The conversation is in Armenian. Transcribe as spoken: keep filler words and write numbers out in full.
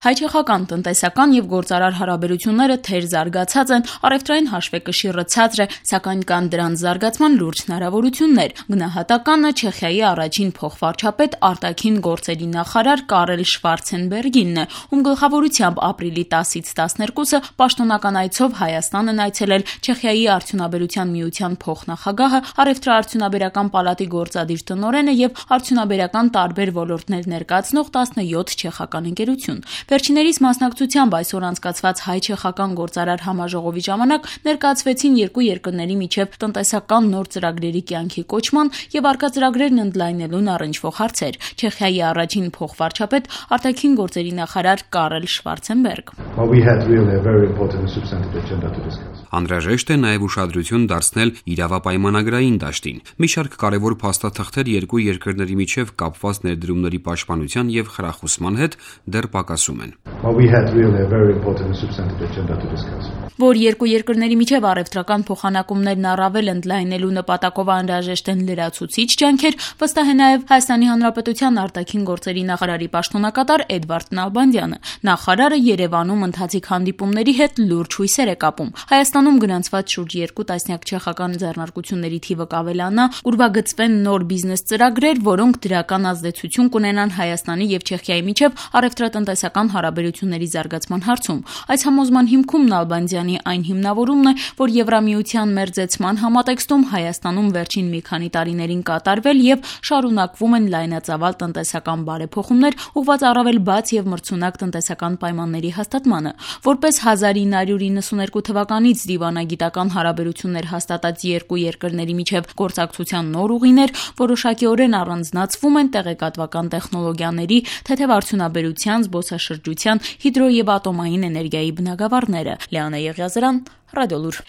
Հայ-չեխական տնտեսական եւ գործարար հարաբերությունները թեր զարգացած են, առևտրային հաշվեկշիռը ցածր է, սակայն կան դրանց զարգացման լուրջ հնարավորություններ։ Գնահատականը Չեխիայի առաջին փոխվարչապետ արտաքին գործերի նախարար Կարել Շվարցենբերգինն է, ում գլխավորությամբ ապրիլի տասից տասներկուսը պաշտոնական այցով Հայաստան են այցելել Չեխիայի արդյունաբերության միության փոխնախագահը, առևտրաարդյունաբերական պալատի գործադիր տնօրենը եւ արդյունաբերական տարբեր ոլորտներ ներկայացնող տասնյոթ չեխական ընկերություն։ Վերջիներիս մասնակցությամբ այսօր անցկացված հայ-չեխական գործարար համաժողովի ժամանակ ներկայացվեցին երկու երկրների միջև տնտեսական նոր ծրագրերի կյանքի կոչման եւ արկա ծրագրերն ընդլայնելուն առնչվող հարցեր։ Չեխիայի առաջին փոխվարչապետ արտաքին գործերի նախարար Կարել Շվարցենբերգ. Անհրաժեշտ է նաև ուշադրություն դարձնել իրավապայմանագրային դաշտին։ Մի շարք կարևոր փաստաթղթեր երկու երկրների միջև կապված ներդրումների պաշտպանության եւ խրախուսման հետ դեռ պակասում են։ Որ երկու երկրների միջև առևտրական փոխանակումներն առավել ընդլայնելու նպատակով անհրաժեշտ են լրացուցիչ ջանքեր, վստահ է նաև Հայաստանի Հանրապետության արտաքին գործերի նախարարի պաշտոնակատար Էդվարդ Նալբանդյանը։ Նախարարը Երևանում ընթացիկ հանդիպումների հետ լուրջ հույսեր է կապում։ Հայաստանում գրանցված շուրջ երկու տասնյակ չեխական ձեռնարկությունների թիվը կավելանա, ուրվագծվեն նոր բիզնես ծրագրեր, որոնք դրական ազդեցություն կունենան Հայաստանի եւ Չեխիայի միջև առևտրատնտեսական հարաբերությունների զարգացման հարցում։ Այս համոզման հիմքում Նալբանդյանի այն հիմնավորումն է, որ Եվրամիության մերձեցման համատեքստում Հայաստանում վերջին մի քանի տարիներին կատարվել եւ շարունակվում են լայնածավալ տնտեսական բարեփոխումներ, ուղղված առավել բաց եւ մրցունակ տնտեսական պայմանների հաստատմանը։ Որպես հազար ինը հարյուր իննսուներկու թվականից դիվանագիտական հարաբերություններ հաստատած երկու երկրների միջև գործակցության նոր ուղիներ որոշակիորեն առանձնացվում են տեղեկատվական տեխնոլոգիաների, թեթև արդյունաբերության, զբոսաշրջության, հիդրո եւ ատոմային էներգիայի բնագավառները։ Լիանա Եղիազարյան, Ռադիոլուր։